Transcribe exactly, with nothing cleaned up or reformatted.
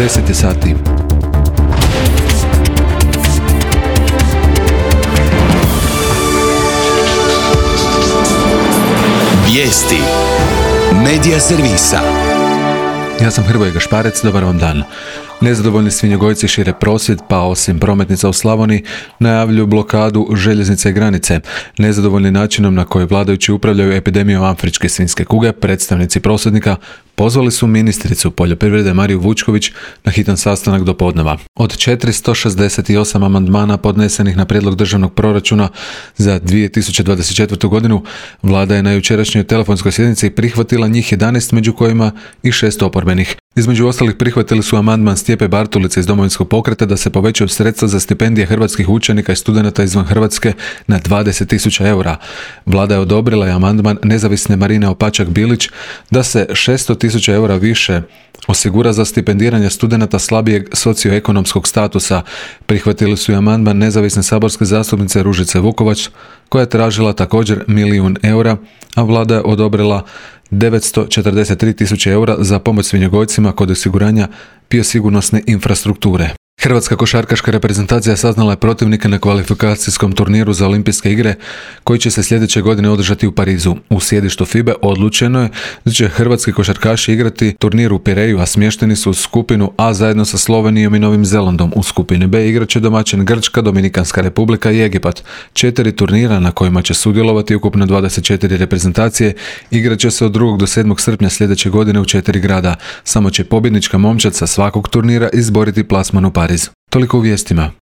deset je sati. Vijesti Medija servisa. Ja sam Hrvoje Gašparec, dobar vam dan. Nezadovoljni svinjogojci šire prosvjed, pa osim prometnica u Slavoniji najavljuju blokadu željeznice i granice. Nezadovoljni načinom na koji vladajući upravljaju epidemijom afričke svinjske kuge, predstavnici prosvjednika pozvali su ministricu poljoprivrede Mariju Vučković na hitan sastanak do podneva. Od četiristo šezdeset osam amandmana podnesenih na prijedlog državnog proračuna za dvije tisuće dvadeset četvrtu. godinu, vlada je na jučerašnjoj telefonskoj sjednici prihvatila njih jedanaest, među kojima i šest oporbenih. Između ostalih prihvatili su amandman Stjepe Bartulice iz Domovinskog pokreta da se povećaju sredstva za stipendije hrvatskih učenika i studenata izvan Hrvatske na dvadeset tisuća eura. Vlada je odobrila i amandman nezavisne Marine Opačak-Bilić da se šesto tisuća eura više osigura za stipendiranje studenata slabijeg socioekonomskog statusa. Prihvatili su i amandman nezavisne saborske zastupnice Ružice Vukovac koja je tražila također milijun eura, a vlada je odobrila devetsto četrdeset tri tisuće eura za pomoć svinjogojcima kod osiguranja biosigurnosne infrastrukture. Hrvatska košarkaška reprezentacija saznala je protivnika na kvalifikacijskom turniru za olimpijske igre koji će se sljedeće godine održati u Parizu. U sjedištu F I B E odlučeno je da će hrvatski košarkaši igrati turnir u Pireju, a smješteni su u skupinu A zajedno sa Slovenijom i Novim Zelandom. U skupini B igraće domaćin Grčka, Dominikanska republika i Egipat. Četiri turnira na kojima će sudjelovati ukupno dvadeset četiri reprezentacije igraće se od drugog do sedmog srpnja sljedeće godine u četiri grada. Samo će pobjednička momčad sa svakog turnira izboriti plasman u Pariz. Toliko u vijestima.